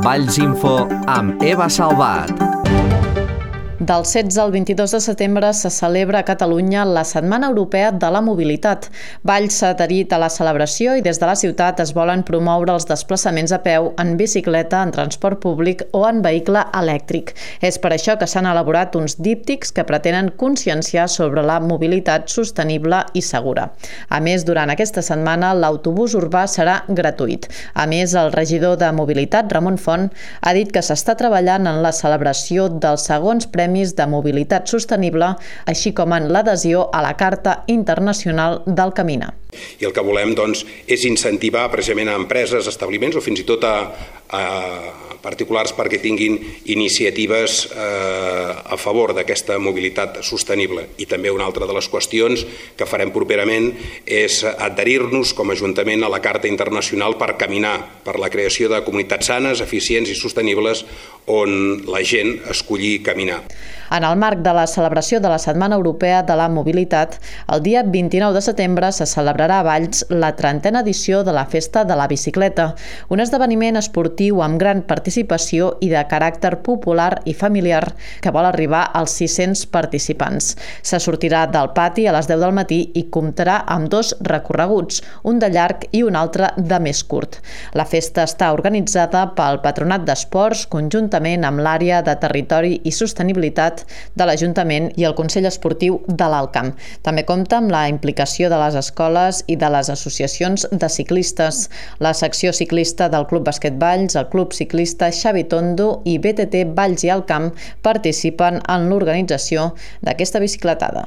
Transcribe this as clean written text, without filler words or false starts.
Valls Info amb Eva Salvat. Del 16 al 22 de setembre se celebra a Catalunya la Setmana Europea de la Mobilitat. Valls s'ha adherit a la celebració i des de la ciutat es volen promoure els desplaçaments a peu, en bicicleta, en transport públic o en vehicle elèctric. És per això que s'han elaborat uns díptics que pretenen conscienciar sobre la mobilitat sostenible i segura. A més, durant aquesta setmana l'autobús urbà serà gratuït. A més, el regidor de Mobilitat, Ramon Font, ha dit que s'està treballant en la celebració dels segons premis de mobilitat sostenible, així com en l'adhesió a la Carta Internacional del Camina. I el que volem, doncs, és incentivar precisament a empreses, establiments o fins i tot a particulars perquè tinguin iniciatives a favor d'aquesta mobilitat sostenible. I també una altra de les qüestions que farem properament és adherir-nos com a Ajuntament a la Carta Internacional per caminar, per la creació de comunitats sanes, eficients i sostenibles on la gent escolli caminar. En el marc de la celebració de la Setmana Europea de la Mobilitat, el dia 29 de setembre se celebrarà a Valls la 30a edició de la Festa de la Bicicleta, un esdeveniment esportiu amb gran participació i de caràcter popular i familiar que vol arribar als 600 participants. Se sortirà del pati a les 10 del matí i comptarà amb dos recorreguts, un de llarg i un altre de més curt. La festa està organitzada pel Patronat d'Esports conjuntament amb l'Àrea de Territori i Sostenibilitat de l'Ajuntament i el Consell Esportiu de l'Alt Camp. També compta amb la implicació de les escoles i de les associacions de ciclistes. La secció ciclista del Club Bàsquet Valls, el Club Ciclista Xavi Tondo i BTT Valls i Alt Camp participen en l'organització d'aquesta bicicletada.